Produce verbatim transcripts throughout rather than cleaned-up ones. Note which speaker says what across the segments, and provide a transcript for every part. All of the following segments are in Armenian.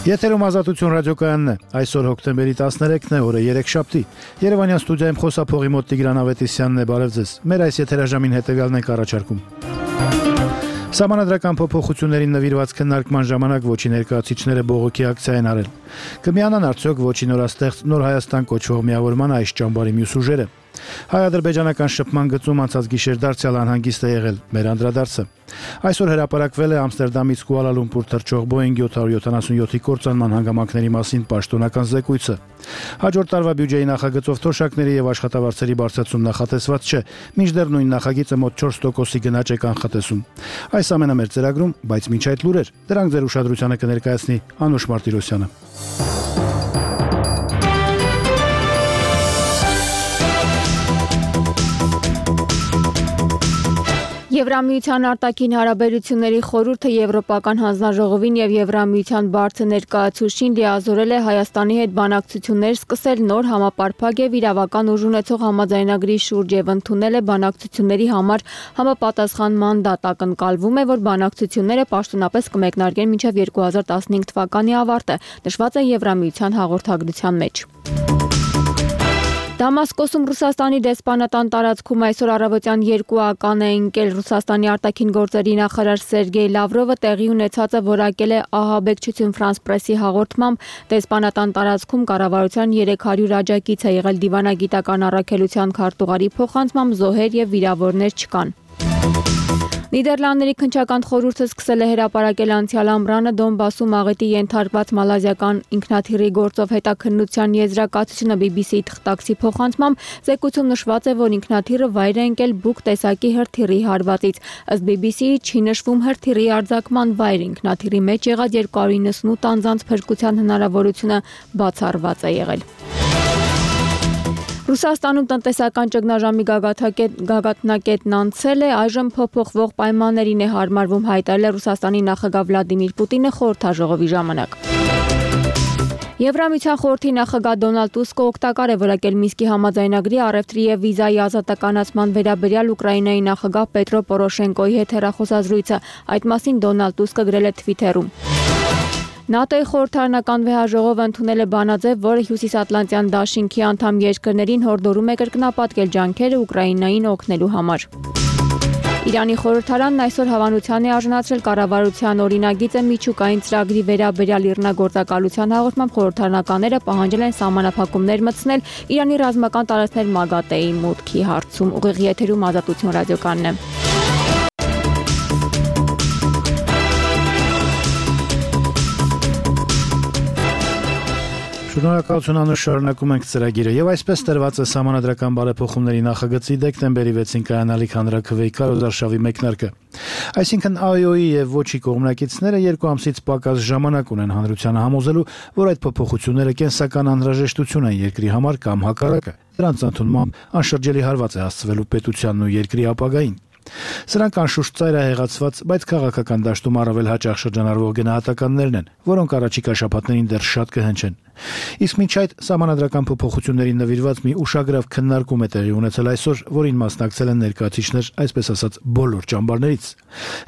Speaker 1: Եթերում Ազատություն ռադիոկայանն է, այսօր հոկտեմբերի տասներեքն է, օրը երեքշաբթի, Երևանյան ստուդիայում խոսափողի մոտ Տիգրան Ավետիսյանն է, բարև ձեզ, մեր այս եթերաժամին հետևյալն ենք առաջարկում. Սահմանադրական փոփոխություններին նվիրված քննարկման ժամանակ Ոչի ներկայացուցիչները բողոքի ակցիա են արել. Կմիանան արդյոք Ոչի նորաստեղծ Նոր Հայաստան կոչվող միավորման այս ճամբարի մյուս ուժերը? Հայ-ադրբեջանական շփման գծում անցած գիշեր դարձյալ անհանգիստ է եղել մեր անդրադարձը. Այսօր հրապարակվել է Ամստերդամից Կուալալումպուր թռչող Boeing յոթ հարյուր յոթանասունյոթի կործանման հանգամանքների մասին պաշտոնական զեկույցը. Հաջորդ տարվա բյուջեի նախագծով թոշակների եւ աշխատավարձերի բարձրացում նախատեսված չէ, մինչդեռ նույն նախագիծը մոտ չորս տոկոսի գնաճ է կանխատեսում. Այս ամենը մեր ծրագրում, բայց մինչ այդ լուրեր, դրանք ձեր ուշադրությանը կներկայացնի Անուշ Մարտիրոսյանը.
Speaker 2: Եվրամիության արտաքին հարաբերությունների խորհուրդը Եվրոպական հանձնաժողովին եւ Եվրամիության բարձր ներկայացուցիչին լիազորել է Հայաստանի հետ բանակցություններ սկսել նոր համապարփակ եւ իրավական ուժ ունեցող համաձայնագրի շուրջ եւ ընդունել է բանակցությունների համար համապատասխան մանդատ. Ակնկալվում է, որ բանակցությունները պաշտոնապես կմեկնարկեն մինչեւ երկու հազար տասնհինգ թվականի ավարտը, նշված է Եվրամիության հաղորդագրության մեջ. Դամասկոսում Ռուսաստանի դեսպանատան տարածքում այսօր առավոտյան երկու ական է ընկել. Ռուսաստանի արտաքին գործերի նախարար Սերգեյ Լավրովը տեղի ունեցածը որակել է ահաբեկչություն Ֆրանս Պրեսի հաղորդմամբ. դեսպանատան տարածքում կառավարության երեք հարյուր աջակից է եղել. Դիվանագիտական առաքելության քարտուղարի փոխանցմամբ զոհեր եւ վիրավորներ չկան. Նիդերլանդների քննչական խորհուրդը սկսել է հրապարակել անցյալ ամռանը Դոնբասում աղետի ենթարկված մալազիական ինքնաթիռի գործով հետաքննության եզրակացությունը բի բի սի-ի թղթակցի փոխանցմամբ զեկույցում նշված է, որ ինքնաթիռը վայր է ընկել Բուկ տեսակի հրթիռի հարվածից. Ըստ բի բի սի-ի չի նշվում հրթիռի արձակման վայր. Ինքնաթիռի մեջ եղած երկու հարյուր իննսունութ անձանց փրկության հնարավորությունը բացառված է եղել. Ռուսաստանում տնտեսական ճգնաժամի գագաթնակետն անցել է, այժմ փոփոխվող պայմաններին է հարմարվում, հայտարարել է Ռուսաստանի նախագահ Վլադիմիր Պուտինը խորհրդաժողովի ժամանակ. Եվրամիության խորհրդի նախագահ Դոնալդ Տուսկը օգտակար է որակել Մինսկի համաձայնագրի առևտրի եւ վիզայի ազատականացման վերաբերյալ Ուկրաինայի նախագահ Պետրո Պորոշենկոյի հետ հեռախոսազրույցը. Այդ մասին Դոնալդ Տուսկը գրել է Թվիթերում. ՆԱՏՕ-ի խորհրդարանական վեհաժողովը ընդունել է բանաձև, որը Հյուսիսատլանտյան դաշինքի անդամ երկրներին հորդորում է կրկնապատկել ջանքերը Ուկրաինային օգնելու համար. Իրանի խորհրդարանն այսօր հավանության է արժանացրել կառավարության օրինագիծը միջուկային ծրագրի վերաբերյալ իռնագործակալության հաղորդմամբ խորհրդարանականները պահանջել են սահմանափակումներ մտցնել Իրանի ռազմական տարածքներ ՄԱԳԱՏԵ-ի մուտքի հարցում. Ուղիղ եթերում Ազատություն ռադիոկայանն է.
Speaker 1: Շնորհակալություն Անուշ, շարունակում ենք ծրագիրը եւ այսպես տրված է սահմանադրական բարեփոխումների նախագծի դեկտեմբերի վեցին կայանալիք հանրաքվեի կարոզարշավի մեկնարկը։ Այսինքն Ա Յ Օ-ի եւ Ոչի կողմնակիցները երկու ամսից պակաս ժամանակ ունեն հանրությանը համոզելու, որ այդ փոփոխությունները կենսական անհրաժեշտություն են երկրի համար կամ հակառակը։ Դրանց ընդունմամբ անշրջելի հարված է հասցվելու պետությանն ու երկրի ապագային։ Սրանք անշուշտ ծայրահեղացված, բայց քաղաքական դաշտում առավել հաճախ շրջանառվող գնահատականներն են, որոնք առաջիկա շաբաթներին դեռ շատ կհնչեն։ Իսկ մինչ այդ սահմանադրական փոփոխություններին նվիրված մի ուշագրավ քննարկում է տեղի ունեցել այսօր, որին մասնակցել են ներկայացուցիչներ, այսպես ասած, բոլոր ճամբարներից։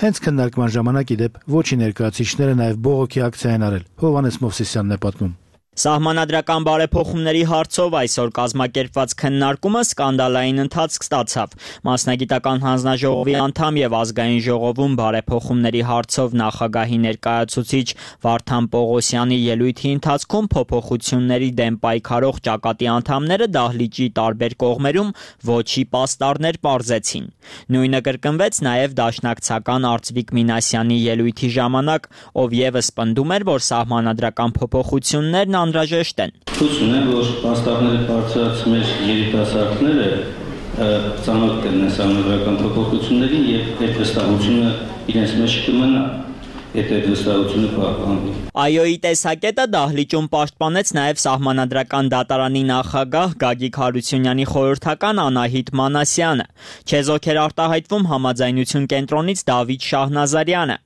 Speaker 1: Հենց քննարկման ժամանակ ի դեպ Ոչի ներկայացուցիչները նաև բողոքի ակցիա են արել։ Հովհաննես Մովսիսյանն է պատմում.
Speaker 3: Սահմանադրական բարեփոխումների հարցով այսօր կազմակերպված քննարկումը սկանդալային ընթացք ստացավ։ Մասնագիտական հանձնաժողովի անդամ եւ ազգային ժողովում բարեփոխումների հարցով նախագահի ներկայացուցիչ Վարդան Պողոսյանի ելույթի ընթացքում փոփոխությունների դեմ պայքարող ճակատի անդամները դահլիճի տարբեր կողմերում ոչի պաստառներ պարզեցին։ Նույնը կրկնվեց նաեւ դաշնակցական Արծվիկ Մինասյանի ելույթի ժամանակ, ով եւս պնդում էր, որ սահմանադրական փոփոխություններն անհրաժեշտ են։
Speaker 4: Հույս ունեմ, որ պաստառները բարձրացած երիտասարդները ծանոթ կլինեն սահմանադրական փոփոխություններին եւ այդ վստահությունը իրենց մեջ կմնա, եթե այդ վստահությունը պահպանվի։
Speaker 3: Ա Յ Օ-ի տեսակետը դահլիճում պաշտպանեց նաև Սահմանադրական դատարանի նախագահ Գագիկ Հարությունյանի խորհրդական Անահիտ Մանասյանը։ Չեզոք էր արտահայտվում Համաձայնություն կենտրոնից Դավիթ Շահնազարյանը։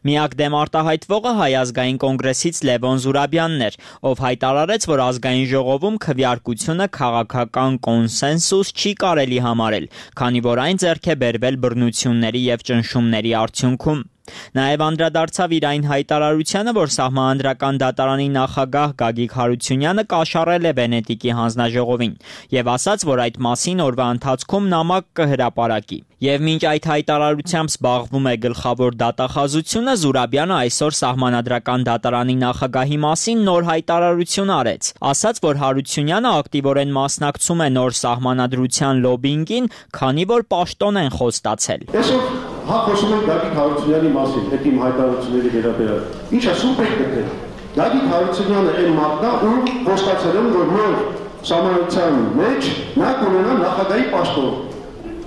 Speaker 3: Միակ դեմ արտահայտվողը Հայ ազգային կոնգրեսից Լևոն Զուրաբյանն էր, ով հայտարարեց, որ ազգային ժողովում քվեարկությունը քաղաքական կոնսենսուս չի կարելի համարել, քանի որ այն ձեռք է բերվել բռնությունների եւ ճնշումների արդյունքում։ Նաև անդրադարձավ իր այն հայտարարությանը, որ Սահմանադրական դատարանի նախագահ Գագիկ Հարությունյանը կաշառել է Վենետիկի հանձնաժողովին եւ ասաց, որ այդ մասին օրվա ընթացքում նամակ կհրապարակի։ Եվ մինչ այդ հայտարարությամբ զբաղվում է գլխավոր դատախազությունը, Զուրաբյանը այսօր Սահմանադրական դատարանի նախագահի մասին նոր հայտարարություն արեց։ Ասաց, որ Հարությունյանը ակտիվորեն մասնակցում է նոր սահմանադրության լոբինգին, քանի որ պաշտոն են խոստացել։
Speaker 5: Այսօր հա խոսում ենք Գագիկ Հարությունյանի մասին, այդ իմ հայտարարությունների վերաբերյալ։ Ինչ ասում եք դե։ Գագիկ Հարությունյանը այն մարդն է, ում խոստացել են, որ նոր սահմանադրության մեջ նա կունենա նախագահի պաշտոն։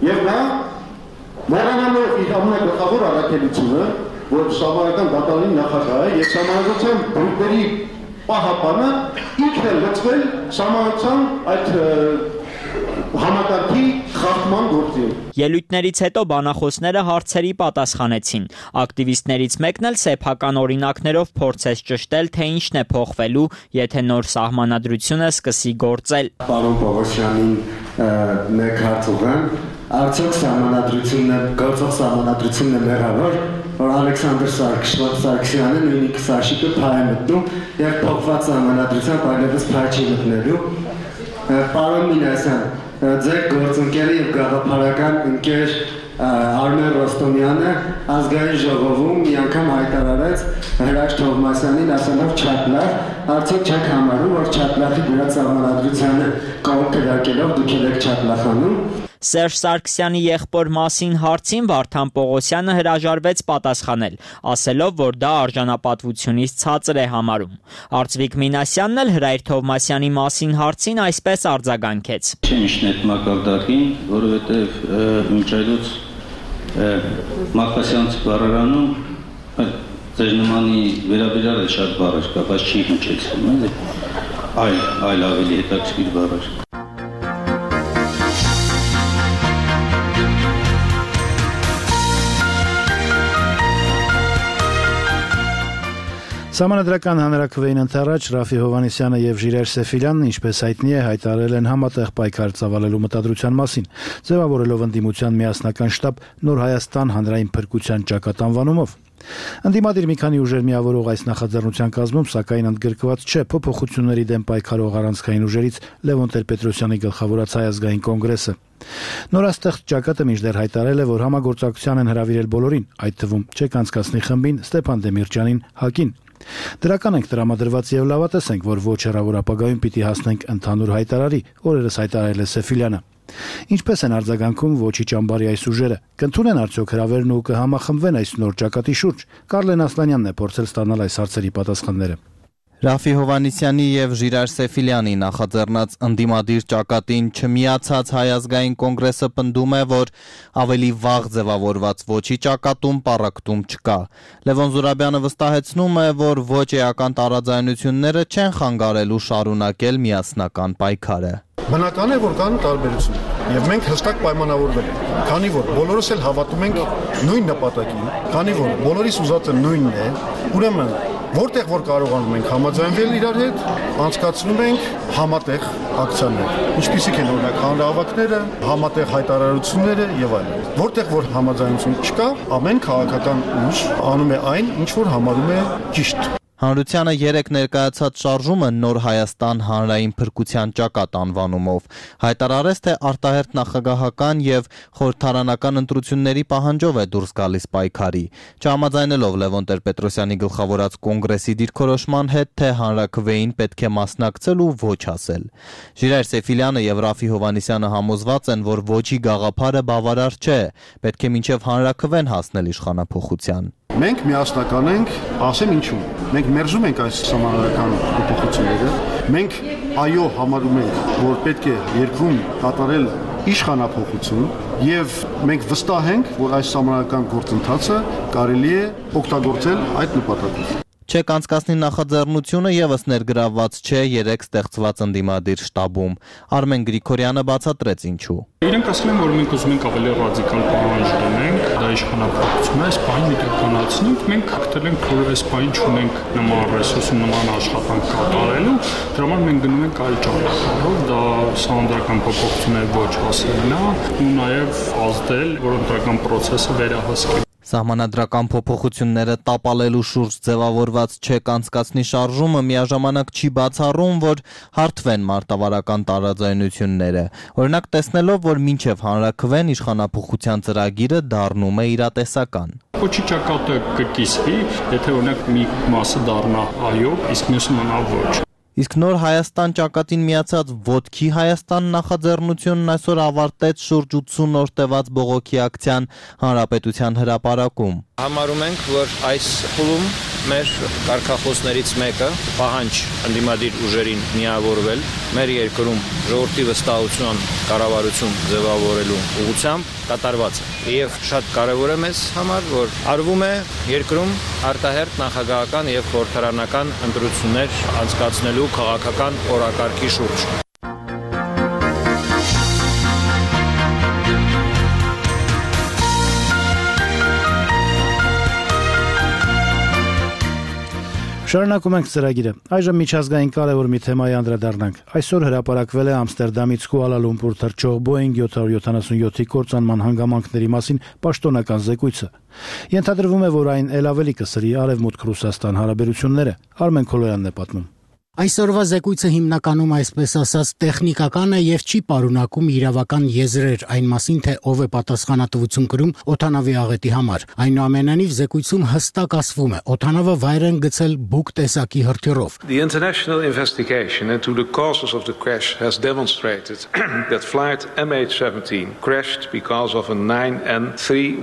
Speaker 5: Եվ նա մոռանալով իր ամենագլխավոր առաքելությունը, որ Սահմանադրական դատարանի նախագահ է եւ Սահմանադրության բրուկների պահապանը ինքն է լծվել Սահմանադրության այդ համակարգի խախտման գործին։
Speaker 3: Ելույթներից հետո բանախոսները հարցերի պատասխանեցին։ Ակտիվիստներից մեկն էլ սեփական օրինակներով փորձեց ճշտել, թե ինչն է փոխվելու, եթե նոր սահմանադրությունը սկսի գործել։
Speaker 6: Պարոն Պողոսյանին մեկ հարց ուղղեմ, արդյոք սահմանադրությունն է, գործող սահմանադրությունն է մեղավոր, որ Ալեքսանդր Սարգսյանը նույնիսկ Սաշիկը փայ է մտնում եւ փոխված սահմանադրությամբ այլևս փայ չի մտնելու։ Պարոն Մինասյան, ձեր գործընկերը եւ գաղափարական ընկեր Արմեն Ռոստոմյանը ազգային ժողովում մի անգամ հայտարարեց Հրաշ Թովմասյանին ասելով չափլախ, արդյոք չեք համարում, որ չափլախի դրած սահմանադրությանը կողմ քրակելով դուք եք չափլախանում։
Speaker 3: Սերժ Սարգսյանի եղբոր մասին հարցին Վարդան Պողոսյանը հրաժարվեց պատասխանել, ասելով, որ դա արժանապատվությունից ցածր է համարում։ Արծվիկ Մինասյանն էլ Հրայր Թովմասյանի մասին հարցին այսպես արձագանքեց.
Speaker 4: Չեմ այդ մակարդակին, որովհետև մինչ այլոց Մակասյանց բառարանում ձեր նմանի վերաբերյալ է շատ բառեր կա, բայց չի հնչեցնում, էլի։ Այլ, այլ ավելի հետաքրքիր բառեր։
Speaker 1: Սահմանադրական հանրաքվեին ընթരാճ Ռաֆի Հովհաննիսյանը եւ Ժիրայր Սեֆիլյանն, ինչպես հայտնի է, հայտարարել են համատեղ պայքար ծավալելու մտադրության մասին, ձևավորելով ընդդիմության միասնական շտաբ Նոր Հայաստան հանրային փրկության ճակատ անվանումով։ Ընդդիմադիր մի քանի ուժեր միավորող այս նախաձեռնության կազմում, սակայն ընդգրկված չէ փոփոխությունների դեմ պայքարող առանցքային ուժերից Լևոն Տեր-Պետրոսյանի գլխավորած Հայ ազգային կոնգրեսը։ Նորաստեղծ ճակատը մինչդեռ հայտարարել է, որ համագործակցության են հրավիրել բոլորին, այդ թվում Չեկ անցկացնի խմբին, Ստեփան Դեմիրճյանին, ՀԱԿ-ին։ Դրական ենք տրամադրված եւ լավատես ենք, որ ոչ հեռավոր ապագայում պիտի հասնենք ընդհանուր հայտարարի, օրերս հայտարարել է Սեֆիլյանը։ Ինչպես են արձագանքում ոչի ճամբարի այս ուժերը, կընդունեն արդյոք հրավերն ու կհամախմբվեն այս նոր ճակատի շուրջ։ Կարլեն Ասլանյանն է փորձել ստանալ այս հարցերի պատասխանները։
Speaker 7: Ռաֆի Հովհաննիսյանի եւ Ժիրայր Սեֆիլյանի նախաձեռնած ընդդիմադիր ճակատին չմիացած Հայ ազգային կոնգրեսը պնդում է, որ ավելի վաղ ձևավորված ոչի ճակատում պառակտում չկա։ Լևոն Զուրաբյանը վստահեցնում է, որ ոչ էական տարաձայնությունները չեն խանգարելու շարունակել միասնական պայքարը։
Speaker 5: Բնական է, որ կան տարբերություններ եւ մենք հստակ պայմանավորվել ենք, քանի որ բոլորս էլ հավատում ենք նույն նպատակին, քանի որ բոլորիս ուզածը նույնն է, ուրեմն որտեղ որ կարողանում ենք համաձայնվել իրար հետ, անցկացնում ենք համատեղ ակցիաներ, ինչպիսիք են օրինակ հանրահավաքները, համատեղ հայտարարությունները եւ այլն։ Որտեղ որ համաձայնություն չկա, ամեն քաղաքական ուժ անում է այն, ինչ որ համարում է ճիշտ։
Speaker 7: Հանրությանը երեք ներկայացած շարժումը Նոր Հայաստան հանրային փրկության ճակատ անվանումով հայտարարեց, թե արտահերթ նախագահական եւ խորհրդարանական ընտրությունների պահանջով է դուրս գալիս պայքարի, չհամաձայնելով Լևոն Տեր-Պետրոսյանի գլխավորած կոնգրեսի դիրքորոշման հետ, թե հանրաքվեին պետք է մասնակցել ու ոչ ասել։ Ժիրայր Սեֆիլյանը եւ Ռաֆի Հովհաննիսյանը համոզված են, որ ոչի գաղափարը բավարար չէ, պետք է մինչեւ հանրաքվեն հասնել իշխանափոխության։
Speaker 5: Մենք միասնական ենք, ասեմ ինչու։ Մենք մերժում ենք այս սահմանադրական փոփոխությունները։ Մենք այո համարում ենք, որ պետք է երկրում կատարել իշխանափոխություն եւ մենք վստահ ենք, որ այս սահմանադրական գործընթացը կարելի է օգտագործել այդ նպատակով։
Speaker 7: Չեկ անցկացնի նախաձեռնությունը եւս ներգրավված չէ երեք ստեղծված ընդդիմադիր շտաբում։ Արմեն Գրիգորյանը բացատրեց ինչու։
Speaker 8: Իրենք ասել են, որ մենք ուզում ենք ավելի ռադիկալ պահանջ դնենք, դա իշխանափոխություն է, այս բանը իրականացնենք, մենք հաղթել ենք, որ այս բանը չունենք նման ռեսուրս ու նման աշխատանք կատարելու, դրա համար մենք գնում ենք այլ ճանապարհով, դա սահմանադրական փոփոխություններ ոչ ասելն է ու նաեւ ազդել, որ ընտրական process-ը վերահսկի։
Speaker 7: Սահմանադրական փոփոխությունները տապալելու շուրջ ձևավորված չեք անցկացնի շարժումը միաժամանակ չի բացառում, որ հարթվեն մարտավարական տարաձայնությունները։ Օրինակ տեսնելով, որ մինչև հանրաքվեն իշխանափոխության ծրագիրը դառնում է իրատեսական։
Speaker 8: Ոչի ճակատը կկիսվի, եթե օրինակ մի մասը դառնա այո, իսկ մյուսը մնա ոչ։
Speaker 7: Իսկ նոր Հայաստան ճակատին միացած Ոտքի Հայաստան նախաձեռնությունն այսօր ավարտեց շուրջ ութսուն օր տևած բողոքի ակցիան Հանրապետության հրապարակում։
Speaker 9: Համարում ենք, որ այս փուլում մեր կարգախոսներից մեկը պահանջ ընդդիմադիր ուժերին միավորվել, մեր երկրում ժողովրդի վստահության կառավարություն ձևավորելու ուղղությամբ կատարված է։ Եվ շատ կարևոր է մեզ համար, որ արվում է երկրում արտահերթ նախագահական եւ խորհրդարանական ընտրություններ անցկացնելու քաղաքական օրակարգի շուրջ։
Speaker 1: Շարունակում ենք ծրագիրը։ Այժմ միջազգային կարևոր մի թեմայի անդրադառնանք։ Այսօր հրապարակվել է Ամստերդամից Կուալա Լումպուր թռչող Boeing seven seventy-seven-ի կործանման հանգամանքների մասին պաշտոնական զեկույցը։ Ենթադրվում է, որ այն ել ավելի կսրի Արևմուտք-Ռուսաստան հարաբերությունները։ Արմեն Քոլոյանն է պատմում։
Speaker 10: Այսօրվա զեկույցը հիմնականում այսպես ասած տեխնիկական է եւ չի պարունակում իրավական եզրեր այն մասին, թե ով է պատասխանատվություն կրում օդանավի աղետի համար։ Այնուամենայնիվ զեկույցում հստակ ասվում է, օդանավը վայր են գցել բուկ տեսակի հրթիռով։
Speaker 11: The international investigation into the causes of the crash has demonstrated that flight M H seventeen crashed because of a nine N three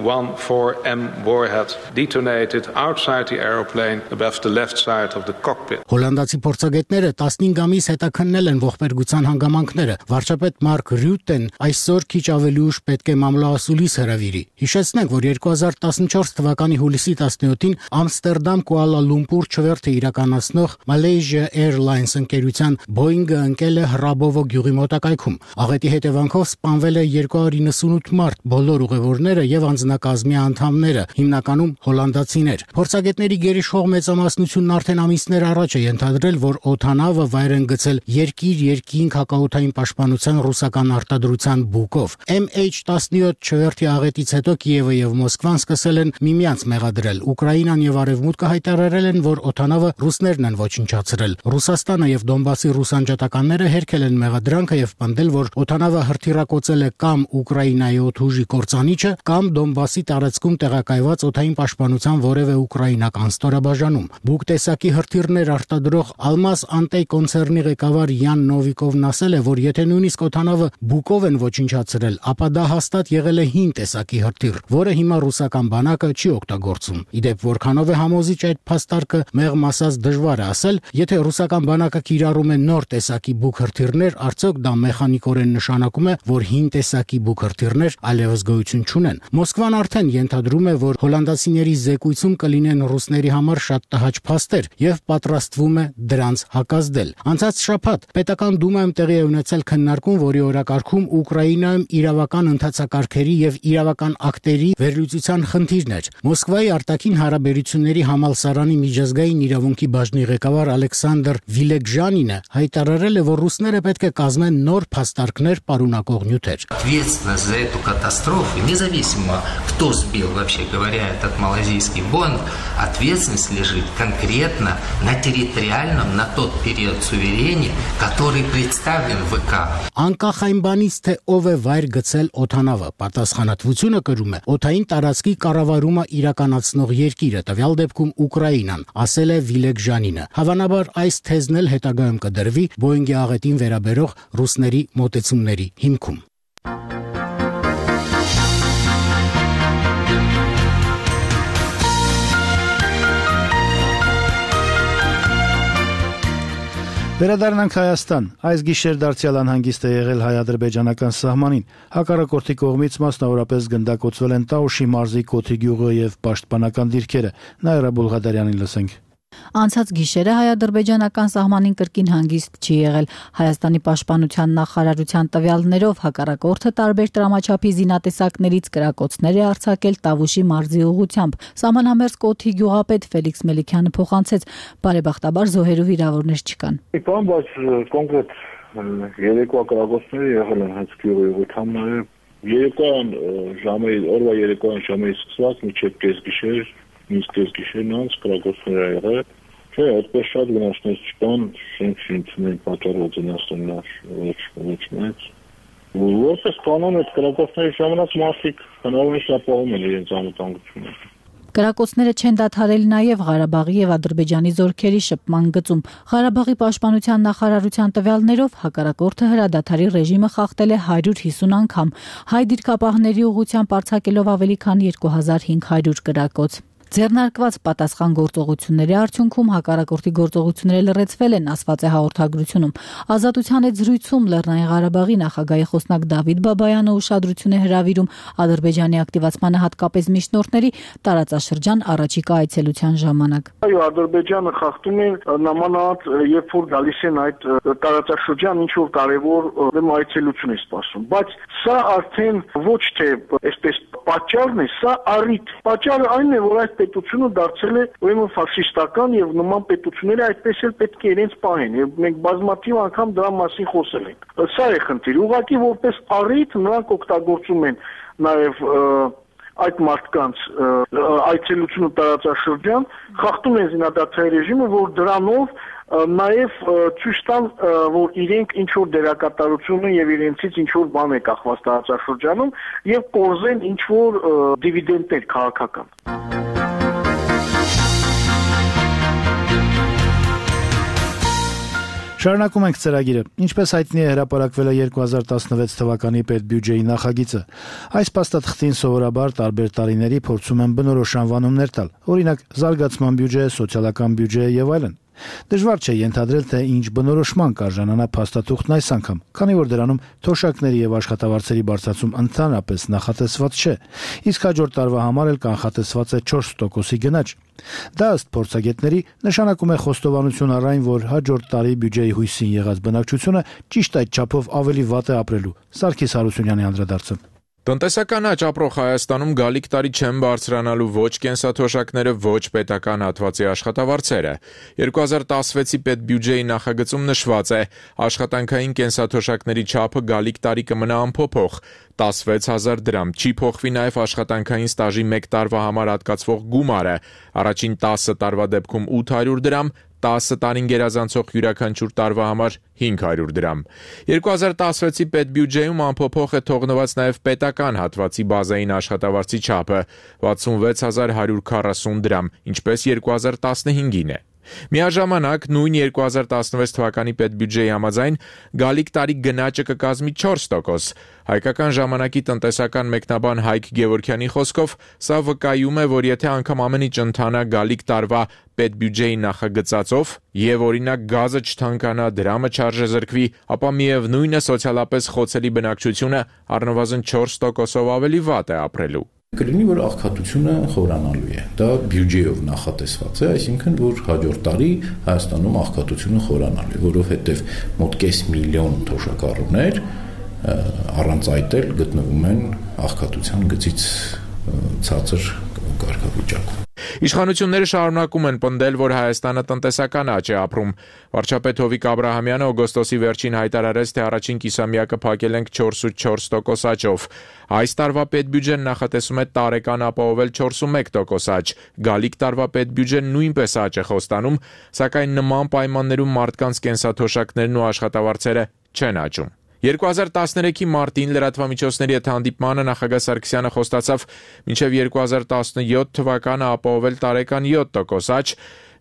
Speaker 11: fourteen M warhead detonated outside the aeroplane above the left side of the cockpit.
Speaker 10: Հոլանդացի փորձագետները տասնինգ ամիս հետաքննել են ողբերգության հանգամանքները։ Վարչապետ Մարկ Ռյուտեն այսօր քիչ ավելի ուշ պետք է մամլոասուլիս հրավիրի։ Հիշեցնենք, որ two thousand fourteen թվականի հուլիսի տասնյոթին Ամստերդամ Կուալա Լումպուր չվերթը իրականացնող Malaysia Airlines ընկերության Boeing-ը ընկել է Հրաբովո գյուղի մոտակայքում։ Աղետի հետևանքով սպանվել է two hundred ninety-eight մարդ, բոլոր ուղևորները եւ անձնակազմի անդամները, հիմնականում հոլանդացիներ։ Փորձագետների գերիշխող մեծամասնությունն արդեն ամիսներ առաջ է ենթադրել, որ օդանավը վայր են գցել երկիր-երկինք հակաօդային պաշտպանության ռուսական արտադրության բուկով։ M H seventeen չվերթի աղետից հետո Կիևը եւ Մոսկվան սկսել են միմյանց մեղադրել։ Ուկրաինան եւ Արևմուտքը հայտարարել են, որ օդանավը ռուսներն են ոչնչացրել։ Ռուսաստանը եւ Դոնբասի ռուս անջատականները հերքել են մեղադրանքը եւ պնդել, որ օդանավը հրթիռակոծել է կամ Ուկրաինայի օդուժի կործանիչը, կամ Դոնբասի տարածքում տեղակայված օդային պաշտպանության որևէ ուկրաինական ստորաբաժանում։ Բուկ տեսակի հրթիռներ արտադրող Almaz Antey կոնցեռնի ղեկավար Յան Նովիկովն ասել է, որ եթե նույնիսկ օդանավը բուկով են ոչնչացրել, ապա դա հաստատ եղել է հին տեսակի հրթիռ, որը հիմա ռուսական բանակը չի օգտագործում։ Իդեպ որքանով է համոզիչ այդ փաստարկը, մեղմ ասած դժվար է ասել, եթե ռուսական բանակը կիրառում է նոր տեսակի բուկ հրթիռներ, արդյոք դա մեխանիկորեն նշանակում է, որ հին տեսակի բուկ հրթիռներ այլևս գոյություն չունեն։ Մոսկվան արդեն ենթադրում է, որ հոլանդացիների զեկույցում կլինեն ռուսների համար շատ տհաճ փաստեր եւ պատրաստվում է դրանց հակազդել։ Անցած շաբաթ պետական դումայում տեղի է ունեցել քննարկում, որի օրակարգում Ուկրաինայում իրավական ընթացակարգերի եւ իրավական ակտերի վերլուծության խնդիրն էր։ Մոսկվայի արտաքին հարաբերությունների համալսարանի միջազգային իրավունքի բաժնի ղեկավար Ալեքսանդր Վիլեգժանինը հայտարարել է, որ ռուսները պետք է կազմեն նոր փաստարկներ պարունակող նյութեր։
Speaker 12: Ответственность за эту катастрофу, независимо кто сбил, вообще говоря, этот малазийский Боинг, ответственность лежит конкретно на территориальном, на тот период суверения, который представлен в ВК.
Speaker 10: Անկախ այն բանից, թե ով է վայր գցել օդանավը, պատասխանատվությունը կրում է օդային տարածքի կառավարումը իրականացնող երկիրը, տվյալ դեպքում Ուկրաինան, ասել է Վիլեգժանինը։ Հավանաբար այս թեզն էլ հետագայում կդրվի Boeing-ի աղետին վերաբերող ռուսների մոտեցումների հիմքում։
Speaker 1: Վերադառնանք Հայաստան։ Այս գիշեր դարձյալ անհանգիստ է եղել հայ-ադրբեջանական սահմանին։ Հակառակորդի կողմից մասնավորապես գնդակոծվել են Տաուշի մարզի Կոթի գյուղը եւ պաշտպանական դիրքերը։ Նաիրա Բուլղադարյանին լսենք։
Speaker 13: Անցած գիշերը հայ-ադրբեջանական սահմանին կրկին հանգիստ չի եղել։ Հայաստանի պաշտպանության նախարարության տվյալներով հակառակորդը տարբեր տրամաչափի զինատեսակներից կրակոցներ է արձակել Տավուշի մարզի ուղղությամբ։ Սահմանամերձ Կոթի գյուղապետ Ֆելիքս Մելիքյանը փոխանցեց, բարեբախտաբար զոհերու վիրավորներ չկան։
Speaker 14: Իպան, բայց կոնկրետ երեկվա կրակոցները եղել են հենց գյուղի ուղղությամբ, Երեկոյան ժամը օրվա երեկոյան ժամից սկսած մինչև կեսգիշեր, մինչ կեսգիշերն անց կրակոցներ ա եղել։ Չէ, այդպես շատ վնասներ չկան, շենք շինությունների պատճառով վնասներ ոչ ոչ մեծ։ Որպես կանոն այդ կրակոցների ժամանակ մարդիկ հնարավորինս ապահովում են իրենց անվտանգությունը։
Speaker 13: Կրակոցները չեն դադարել նաև Ղարաբաղի եւ Ադրբեջանի զորքերի շփման գծում։ Ղարաբաղի պաշտպանության նախարարության տվյալներով հակառակորդը հրադադարի ռեժիմը խախտել է հարյուր հիսուն անգամ, հայ դիրքապահների ուղղությամբ արձակելով ավելի քան երկու հազար հինգ հարյուր կրակոց։ Ձեռնարկված պատասխան գործողությունների արդյունքում հակառակորդի գործողությունները լրացվել են, ասված է հաղորդագրությունում։ Ազատության հետ զրույցում Լեռնային Ղարաբաղի նախագահի խոսնակ Դավիթ Բաբայանը ուշադրություն է հրավիրում Ադրբեջանի ակտիվացմանը, հատկապես միջնորդների տարածաշրջան առաջիկա այցելության ժամանակ։
Speaker 5: Այո, Ադրբեջանը խախտում է նամանավանդ, երբ որ գալիս են այդ տարածաշրջան, ինչ որ կարևոր այցելություն է սպասում, բայց սա արդեն ոչ թե այսպես պատճառն է, սա առիթ։ Պատճառը այն է, որ այդ պետությունը դարձել է ուրեմն ֆաշիստական եւ նման պետությունները այդպես էլ պետք է իրենց պահեն եւ մենք բազմաթիվ անգամ դրա մասին խոսել ենք։ Սա է խնդիրը։ Ուղղակի որպես առիթ նրանք օգտագործում են նաեւ այդ մարդկանց այցելությունը տարածաշրջան, խախտում են զինադադարի ռեժիմը, որ դրանով նաև ցույց տան, որ իրենք ինչ որ դերակատարություն են եւ իրենցից ինչ որ բան է կախված տարածաշրջանում եւ կորզեն ինչ որ դիվիդենտներ քաղաքական։
Speaker 1: Շարունակում ենք ծրագիրը։ Ինչպես հայտնի է, հրապարակվել է երկու հազար տասնվեց թվականի պետբյուջեի նախագիծը։ Այս փաստաթղթին սովորաբար տարբեր տարիների փորձում են բնորոշ անվանումներ տալ, օրինակ զարգացման բյուջե, սոցիալական բյուջե եւ այլն։ Դժվար չէ ենթադրել, թե ինչ բնորոշման կարժանանա փաստաթուղթն այս անգամ, քանի որ դրանում թոշակների եւ աշխատավարձերի բարձրացում ընդհանրապես նախատեսված չէ, իսկ հաջորդ տարվա համար էլ կանխատեսված է չորս տոկոսի գնաճ։ Դա ըստ փորձագետների նշանակում է խոստովանություն առ այն, որ հաջորդ տարի բյուջեի հույսին եղած բնակչությունը ճիշտ այդ չափով ավելի վատ է ապրելու։ Սարգիս Հարությունյանի անդրադարձը։
Speaker 15: Տնտեսական աճ ապրող Հայաստանում գալիք տարի չեն բարձրանալու ոչ կենսաթոշակները, ոչ պետական հատվածի աշխատավարձերը։ երկու հազար տասնվեցի պետբյուջեի նախագծում նշված է, աշխատանքային կենսաթոշակների չափը գալիք տարի կմնա անփոփոխ, տասնվեց հազար դրամ, չի փոխվի նաև աշխատանքային ստաժի մեկ տարվա համար հատկացվող գումարը, առաջին տասը տարվա դեպքում ութ հարյուր դրամ, տասը տարին գերազանցող յուրաքանչյուր տարվա համար հինգ հարյուր դրամ։ երկու հազար տասնվեցի պետբյուջեում անփոփոխ է թողնված նաև պետական հատվածի բազային աշխատավարձի չափը՝ վաթսունվեց հազար հարյուր քառասուն դրամ, ինչպես երկու հազար տասնհինգին է։ Միաժամանակ նույն երկու հազար տասնվեց թվականի պետբյուջեի համաձայն գալիք տարի գնաճը կկազմի չորս տոկոս։ Հայկական ժամանակի տնտեսական մեկնաբան Հայկ Գևորգյանի խոսքով սա վկայում է, որ եթե անգամ ամեն ինչ ընթանա գալիք տարվա պետբյուջեի նախագծածով եւ օրինակ գազը չթանկանա, դրամը չարժեզրկվի, ապա միևնույն է սոցիալապես խոցելի բնակչությունը առնվազն չորս տոկոսով ավելի վատ է ապրելու։
Speaker 16: Կլինի, որ աղքատությունը խորանալու է։ Դա բյուջեով նախատեսված է, այսինքն, որ հաջորդ տարի Հայաստանում աղքատությունը խորանալու է, որովհետև մոտ կես միլիոն թոշակառուներ առանց այդ էլ գտնվում են աղքատության գծից ցածր կարգավիճակում։
Speaker 15: Իշխանությունները շարունակում են պնդել, որ Հայաստանը տնտեսական աճ է ապրում։ Վարչապետ Հովիկ Աբրահամյանը օգոստոսի վերջին հայտարարեց, թե առաջին կիսամյակը փակել ենք չորսուց տոկոս աճով։ Այս տարվա պետբյուջեն նախատեսում է տարեկան ապահովել չորսունմեկ տոկոս աճ։ Գալիք տարվա պետբյուջեն նույնպես աճ է խոստանում, սակայն նման պայմաններում մարդկանց կենսաթոշակներն ու աշխատավարձերը չեն աճում։ երկու հազար տասներեքի մարտին լրատվամիջոցների հետ հանդիպմանը նախագահ Սարգսյանը խոստացավ մինչև երկու հազար տասնյոթ թվականը ապահովել տարեկան յոթ տոկոս աճ։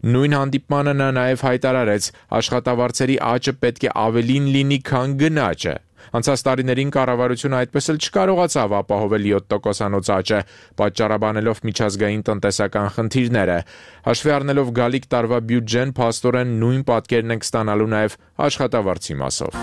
Speaker 15: Նույն հանդիպմանը նա նաև հայտարարեց, աշխատավարձերի աճը պետք է ավելին լինի, քան գնաճը։ Անցած տարիներին կառավարությունը այդպես էլ չկարողացավ ապահովել յոթ տոկոսանոց աճը, պատճառաբանելով միջազգային տնտեսական խնդիրները։ Հաշվի առնելով գալիք տարվա բյուջեն, փաստորեն նույն պատկերն ենք ստանալու նաև աշխատավարձի մասով։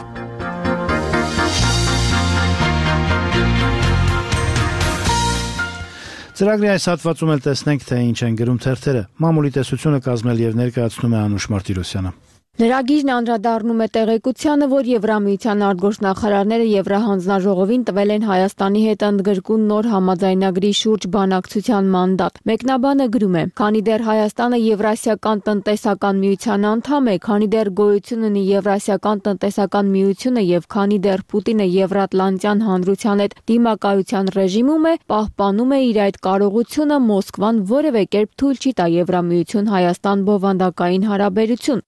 Speaker 1: Ծրագրի այս հատվածում էլ տեսնենք, թե ինչ են գրում թերթերը։ Մամուլի տեսությունը կազմել եւ ներկայացնում է Անուշ Մարտիրոսյանը։
Speaker 2: Լրագիրն անդրադառնում է տեղեկությանը, որ Եվրամիության արտգործնախարարները Եվրահանձնաժողովին տվել են Հայաստանի հետ ընդգրկուն նոր համաձայնագրի շուրջ բանակցության մանդատ։ Մեկնաբանը գրում է. «Քանի դեռ Հայաստանը Եվրասիական տնտեսական միության անդամ է, քանի դեռ գոյություն ունի Եվրասիական տնտեսական միությունը եւ քանի դեռ Պուտինը Եվրատլանտյան հանրության հետ դիմակայության ռեժիմում է, պահպանում է իր այդ կարողությունը, Մոսկվան որևէ կերպ թույլ չի տա Եվրամիություն Հայաստան բովանդակային հարաբերություն»։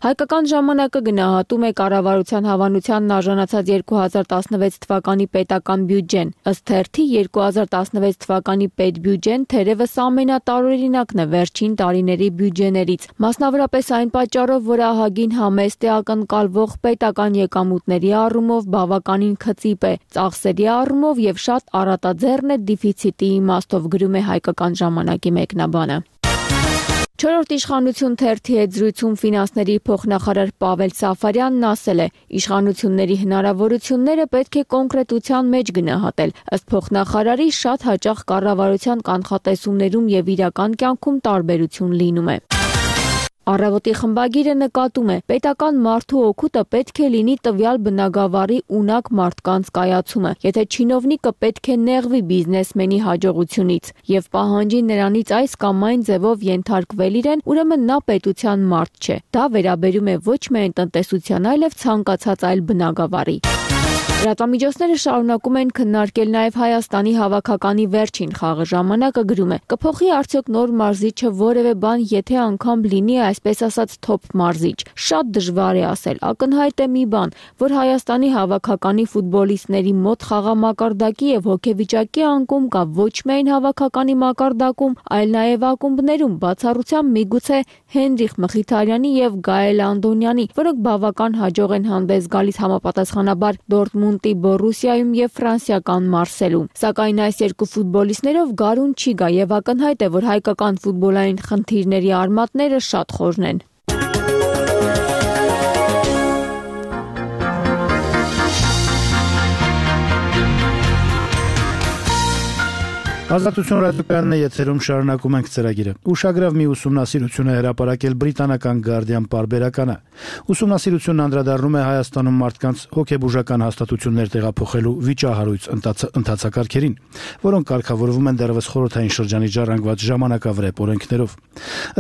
Speaker 2: Հայկական ժամանակը գնահատում է կառավարության հավանությանն արժանացած երկու հազար տասնվեց թվականի պետական բյուջեն։ Ըստ թերթի երկու հազար տասնվեց թվականի պետբյուջեն թերևս ամենատարօրինակն է վերջին տարիների բյուջեներից։ Մասնավորապես այն պատճառով, որ ահագին համեստ է, ակնկալվող պետական եկամուտների առումով բավականին քծիպ է, ծախսերի առումով եւ շատ առատաձեռն է դիֆիցիտի իմաստով, գրում է Հայկական ժամանակի մեկնաբանը։ Չորրորդ իշխանություն թերթի հետ զրույցում ֆինանսների փոխնախարար Պավել Սաֆարյանն ասել է. «Իշխանությունների հնարավորությունները պետք է կոնկրետության մեջ գնահատել, ըստ փոխնախարարի շատ հաճախ կառավարության կանխատեսումներում եւ իրական կյանքում տարբերություն լինում է»։ Առավոտի խմբագիրը նկատում է. պետական մարդու օգուտը պետք է լինի տվյալ բնագավառի ունակ մարդկանց կայացումը, եթե չինովնիկը պետք է նեղվի բիզնեսմենի հաջողությունից եւ պահանջի նրանից այս կամ այն ձևով ենթարկվել իրեն, ուրեմն նա պետության մարդ չէ։ Դա վերաբերում է ոչ միայն տնտեսության, այլև ցանկացած այլ բնագավառի։ Լրատվամիջոցները շարունակում են քննարկել նաև Հայաստանի հավաքականի վերջին խաղը։ Ժամանակը գրում է. կփոխի արդյոք նոր մարզիչը որևէ բան, եթե անգամ լինի այսպես ասած թոփ մարզիչ։ Շատ դժվար է ասել։ Ակնհայտ է մի բան, որ Հայաստանի հավաքականի ֆուտբոլիստների մոտ խաղամակարդակի եւ հոգեվիճակի անկում կա ոչ միայն հավաքականի մակարդակում, այլ նաև ակումբներում, բացառությամբ միգուցե Հենրիխ Մխիթարյանի եւ Գայել Անդոնյանի, որոնք բավական հաջող են հանդես գալիս համապատասխանաբար Դորտմունդ Բորուսիայում եւ ֆրանսիական Մարսելում։ Սակայն այս երկու ֆուտբոլիստներով գարուն չի գա եւ ակնհայտ է, որ հայկական ֆուտբոլային խնդիրների արմատները շատ խորն են։
Speaker 1: Ազատություն ռադիոկայանն է եթերում, շարունակում ենք ծրագիրը։ Ուշագրավ մի ուսումնասիրություն է հրապարակել բրիտանական Guardian պարբերականը։ Ուսումնասիրությունն անդրադառնում է Հայաստանում մարդկանց հոգեբուժական հաստատություններ տեղափոխելու վիճահարույց ընթացակարգերին, որոնք կարգավորվում են դեռևս խորհրդային շրջանի ժառանգված ժամանակավրեպ օրենքներով։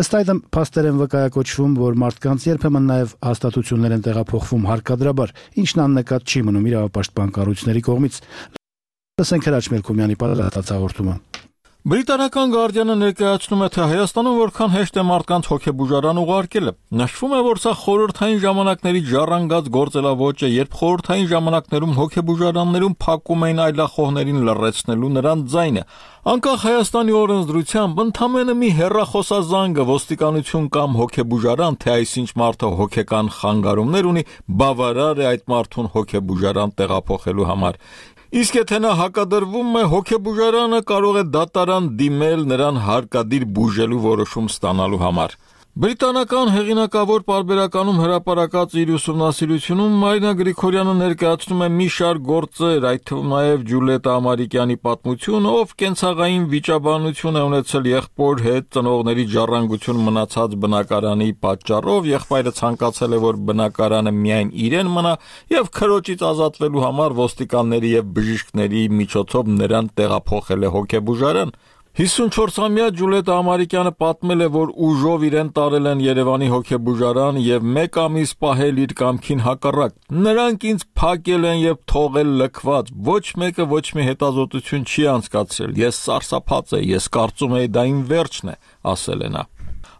Speaker 1: Ըստ այդմ, փաստեր են վկայակոչվում, որ մարդկանց երբեմն նաև հաստատություններ են տեղափոխվում հարկադրաբար, ինչն աննկատ չի մնում իրավապաշտպան կառույցների կողմից։ Լսենք Հրաչ Մելքոմյանի պատասխանատու հաղորդումը։
Speaker 17: Բրիտանական Guardian-ը ներկայացնում է, թե Հայաստանում որքան հեշտ է մարդկանց հոգեբուժարան ուղարկելը։ Նշվում է, որ սա խորհրդային ժամանակների ժառանգած գործելավոճ է, երբ խորհրդային ժամանակներում հոգեբուժարաններում փակում էին այլախոհներին լռեցնելու նրանց ձայնը։ Անկախ Հայաստանի օրենսդրությամբ ընդամենը մի հեռախոսազանգը ոստիկանություն կամ հոգեբուժարան, թե այսինչ մարդը հոգեկան խանգարումներ ունի, բավարար է այդ մարդուն հոգեբուժարան տեղափոխելու համար։ Իսկ եթե նա հակադրվում է, հոգեբուժարանը կարող է դատարան դիմել նրան հարկադիր բուժելու որոշում ստանալու համար։ Բրիտանական հեղինակավոր պարբերականում հրապարակած իր ուսումնասիրությունում Մարինա Գրիգորյանը ներկայացնում է մի շարք գործեր, այդ թվում նաև Ջուլիետա Ամարիկյանի պատմությունը, ով կենցաղային վիճաբանություն է ունեցել եղբոր հետ, ծնողների ժառանգություն մնացած բնակարանի պատճառով, եղբայրը ցանկացել է, որ բնակարանը միայն իրեն մնա եւ քրոջից ազատվելու համար ոստիկանների եւ բժիշկների միջոցով նրան տեղափոխել է հոգեբուժարան։ հիսունչորսամյա Ջուլիետա Ամարիկյանը պատմել է, որ ուժով իրեն տարել են Երևանի հոգեբուժարան եւ մեկ ամիս պահել իր կամքին հակառակ։ Նրանք ինձ փակել են եւ թողել լքված։ Ոչ մեկը ոչ մի հետազոտություն չի անցկացրել։ Ես սարսափած եմ, ես կարծում եի դա իմ վերջն է, ասել է նա։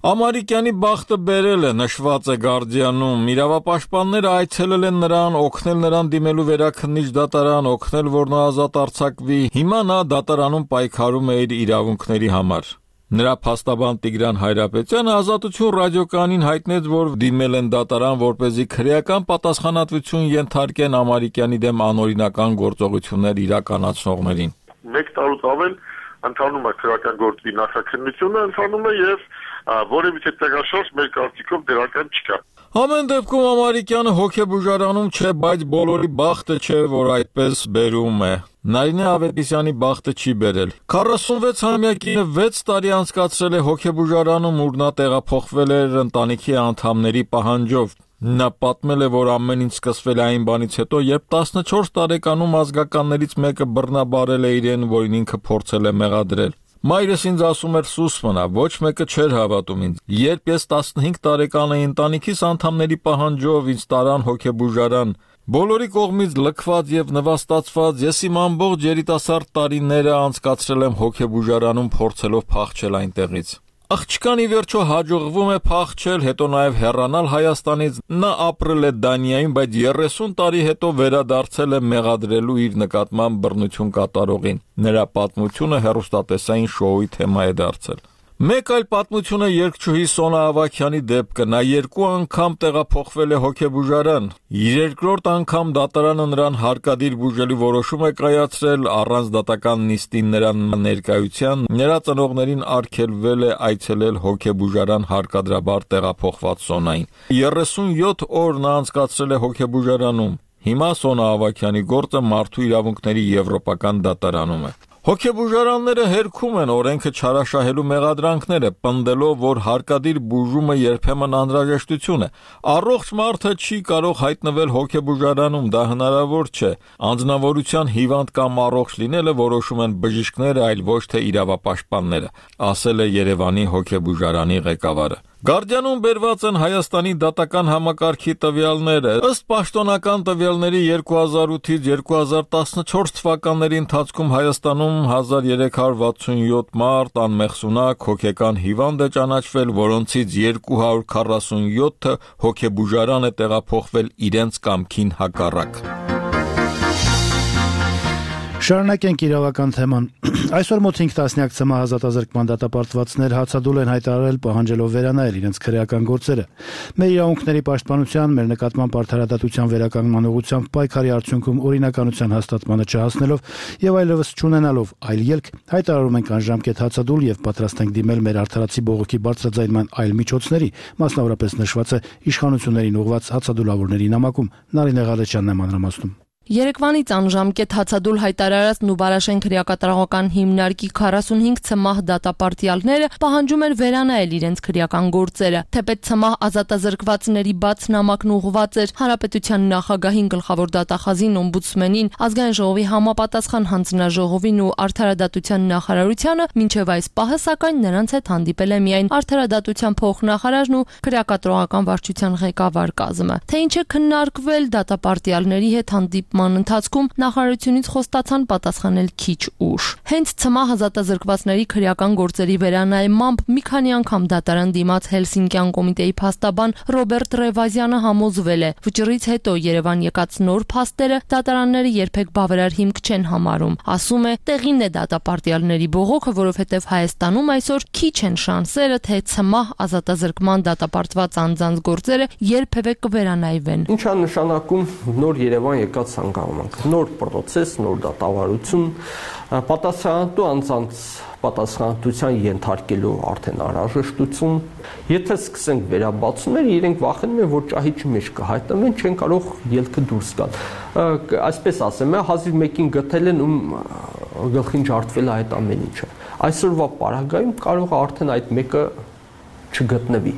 Speaker 17: Ամարիկյանի բախտը բերել է, նշված է Guardian-ում։ Իրավապաշտպանները այցելել են նրան, օգնել նրան դիմելու վերաքննիչ դատարան, օգնել, որ նա ազատ արձակվի։ Հիմա նա դատարանում պայքարում է իր իրավունքների համար։ Նրա փաստաբան Տիգրան Հայրապետյանը Ազատություն ռադիոկայանին հայտնեց, որ դիմել են դատարան, որպեսզի քրեական պատասխանատվություն ենթարկեն Ամարիկյանի դեմ անօրինական գործողություններ իրականացնողներին։
Speaker 14: Մեկ տարուց ավել ընթանում է քրեական գործի նախաքննությունը, ընթանում է եւ որևիցե տեղաշարժ մեր կարծիքով դրական չկա։
Speaker 17: Ամեն դեպքում Ամարիկյանը հոգեբուժարանում չէ, բայց բոլորի բախտը չէ, որ այդպես բերում է։ Նարինե Ավետիսյանի բախտը չի բերել։ քառասունվեց-ամյա կինը վեց տարի անցկացրել է հոգեբուժարանում, ուր նա տեղափոխվել էր ընտանիքի անդամների պահանջով։ Նա պատմել է, որ ամեն ինչ սկսվել է այն բանից հետո, երբ տասնչորս տարեկանում ազգականներից մեկը բռնաբարել է իրեն, որին ինքը փորձել է մեղադրել։ Մայրս ինձ ասում էր սուս մնա, ոչ մեկը չէր հավատում ինձ։ Երբ ես տասնհինգ տարեկան էի, ընտանիքիս անդամների պահանջով ինձ տարան հոգեբուժարան։ Բոլորի կողմից լքված եւ նվաստացված ես իմ ամբողջ երիտասարդ տարիները անցկացրել եմ հոգեբուժարանում փորձելով փախչել այնտեղից։ Աղջկան ի վերջո հաջողվում է փախչել, հետո նաև հեռանալ Հայաստանից։ Նա ապրել է Դանիայում, բայց երեսուն տարի հետո վերադարձել է մեղադրելու իր նկատմամբ բռնություն կատարողին։ Նրա պատմությունը հեռուստատեսային շոուի թեմա է դարձել։ Մեկ այլ պատմություն է երգչուհի Սոնա Ավագյանի դեպքը։ Նա երկու անգամ տեղափոխվել է հոգեբուժարան։ Երկրորդ անգամ դատարանը նրան հարկադիր բուժելու որոշում է կայացրել առանց դատական նիստին նրան ներկայության։ Նրա ծնողներին արգելվել է այցելել հոգեբուժարան հարկադրաբար տեղափոխված Սոնային։ երեսունյոթ օր նա անցկացրել է հոգեբուժարանում։ Հիմա Սոնա Ավագյանի գործը մարդու իրավունքների եվրոպական դատարանում է։ Հոգեբուժարանները հերքում են օրենքը չարաշահելու մեղադրանքները, պնդելով, որ հարկադիր բուժումը երբեմն անհրաժեշտություն է։ Առողջ մարդը չի կարող հայտնվել հոգեբուժարանում, դա հնարավոր չէ։ Անձնավորության հիվանդ կամ առողջ լինելը որոշում են բժիշկները, այլ ոչ թե իրավապաշտպանները, ասել է Երևանի հոգեբուժարանի ղեկավարը։ Գարդիանում բերված են Հայաստանի դատական համակարգի տվյալները։ Ըստ պաշտոնական տվյալների երկու հազար ութից երկու հազար տասնչորս թվականների ընթացքում Հայաստանում հազար երեք հարյուր վաթսունյոթ մարդ անմեղսունակ հոգեկան հիվանդ է ճանաչվել, որոնցից երկու հարյուր քառասունյոթը հոգեբուժարան է տեղափոխվել իրենց կամքին հակառակ։
Speaker 1: Շարունակենք իրավական թեման։ Այսօր մոտ հինգ տասնյակ ցմահ ազատազրկման դատապարտվածներ հացադուլ են հայտարարել պահանջելով վերանայել իրենց քրեական գործերը։ Մեր իրավունքների պաշտպանության, մեր նկատմամբ արդարադատության վերականգնման ուղղությամբ պայքարի արդյունքում օրինականության հաստատմանը չհասնելով եւ այլևս չունենալով այլ ելք, հայտարարում ենք անժամկետ հացադուլ եւ պատրաստ ենք դիմել մեր արդարացի բողոքի բարձրաձայնման այլ միջոցների, մասնավորապես նշված է իշխանություններին ուղղված հացադուլավորների նամակում։ Նարինե Ղալեչյանն է մանրամասնում։
Speaker 18: Երեկվանից անժամկետ հացադուլ հայտարարած Նուբարաշեն քրեակատարողական հիմնարկի քառասունհինգ ցմահ դատապարտյալները պահանջում են վերանայել իրենց քրեական գործերը։ Թեպետ ցմահ ազատազրկվածների բաց նամակն ուղղված էր Հանրապետության նախագահին, գլխավոր դատախազին, օմբուդսմենին, ազգային ժողովի համապատասխան հանձնաժողովին ու արդարադատության նախարարությանը, մինչև այս պահը սակայն նրանց հետ հանդիպել է միայն արդարադատության փոխնախարարն ու քրեակատարողական վարչության ղեկավար կազմը։ Թե ինչ է քննարկվել դատապարտյալների հետ հանդիպ ման ընթացքում նախարարությունից խոստացան պատասխանել քիչ ուշ։ Հենց ցմահ ազատազրկվածների քրեական գործերի վերանայմամբ մի քանի անգամ դատարան դիմաց Հելսինկյան կոմիտեի փաստաբան Ռոբերտ Ռևազյանը համոզվել է, վճռից հետո Երևան եկած նոր փաստերը դատարանները երբեք բավարար հիմք չեն համարում։ Ասում է, տեղին է դատապարտյալների բողոքը, որովհետև Հայաստանում այսօր քիչ են շանսերը, թե ցմահ ազատազրկման դատապարտված անձանց գործերը երբևէ կվերանայվեն։
Speaker 19: Ինչ է նշանակում նոր Երևան եկած հանգամանք, նոր պրոցես, նոր դատավարություն, պատասխանատու անձանց պատասխանատվության ենթարկելու արդեն անհրաժեշտություն։ Եթե սկսենք վերաբացումները, իրենք վախենում են, որ ճահիճի մեջ կհայտնվեն, չեն կարող ելքը դուրս գալ։ Այսպես ասեմ, հազիվ մեկին գտել են, ում գլխին ջարդվել է այդ ամեն ինչը։ Այսօրվա պարագայում կարող է արդեն այդ մեկը չգտնվի։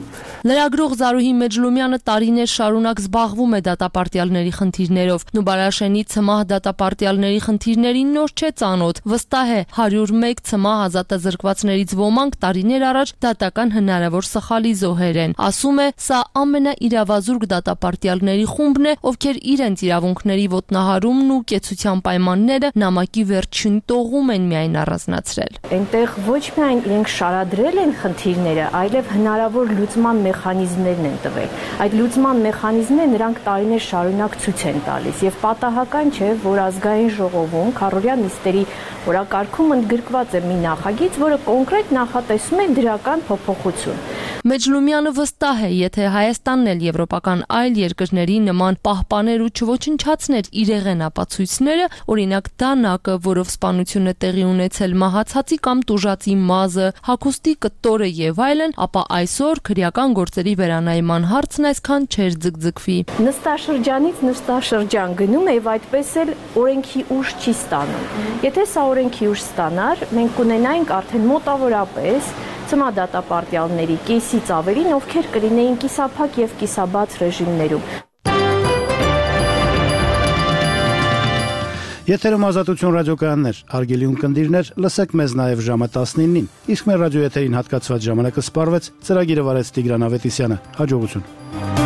Speaker 18: Լրագրող Զարուհի Մեջլումյանը տարիներ շարունակ զբաղվում է դատապարտյալների խնդիրներով։ Նուբարաշենի ցմահ դատապարտյալների խնդիրներին նոր չէ ծանոթ։ Վստահ է, հարյուր մեկ ցմահ ազատազրկվածներից ոմանք տարիներ առաջ դատական հնարավոր սխալի զոհեր են։ Ասում է, սա ամենաիրավազուրկ դատապարտյալների խումբն է, ովքեր իրենց իրավունքների ոտնահարումն ու կեցության պայմանները նամակի վերջին տողում են միայն առանձնացրել։
Speaker 20: Այնտեղ ոչ միայն իրենք շարադրել են խնդիրները, այլև հնարավոր լուծման մեխանիզմներն են տվել։ Այդ լուծման մեխանիզմները նրանք տարիներ շարունակ ցույց են տալիս եւ պատահական չէ, որ ազգային ժողովում քառօրյա նիստերի օրակարգում ընդգրկված է մի նախագիծ, որը կոնկրետ նախատեսում է դրական փոփոխություն։
Speaker 18: Մեջլումյանը վստահ է, եթե Հայաստանն էլ եվրոպական այլ երկրների նման պահպաներ ու չոչնչացներ իրեղեն ապացույցները, օրինակ դանակը, որով սպանությունը տեղի ունեցել մահացածի կամ տուժածի մազը, հագուստի կտորը եւ այլն, ապա այսօր քրեական գործերի վերանայման հարցն այսքան չէր ձգձգվի։
Speaker 20: Նստաշրջանից նստաշրջան գնում է եւ այդպես էլ օրենքի ուժ չի ստանում։ Եթե սա օրենքի ուժ ստանար, մենք կունենայինք արդեն մոտավորապես ծմա դատապարտյալների կեսից ավելին, ովքեր կլինեին կիսափակ եւ կիսաբաց ռեժիմներում։
Speaker 1: Եթերում Ազատություն ռադիոկայաններ, հարգելի ունկնդիրներ, լսեք մեզ նաև ժամը տասնինին, իսկ մեր ռադիոեթերին հատկացված ժամանակը սպառվեց, ծրագիրը վարեց Տիգրան Ավետիսյանը, հաջողություն։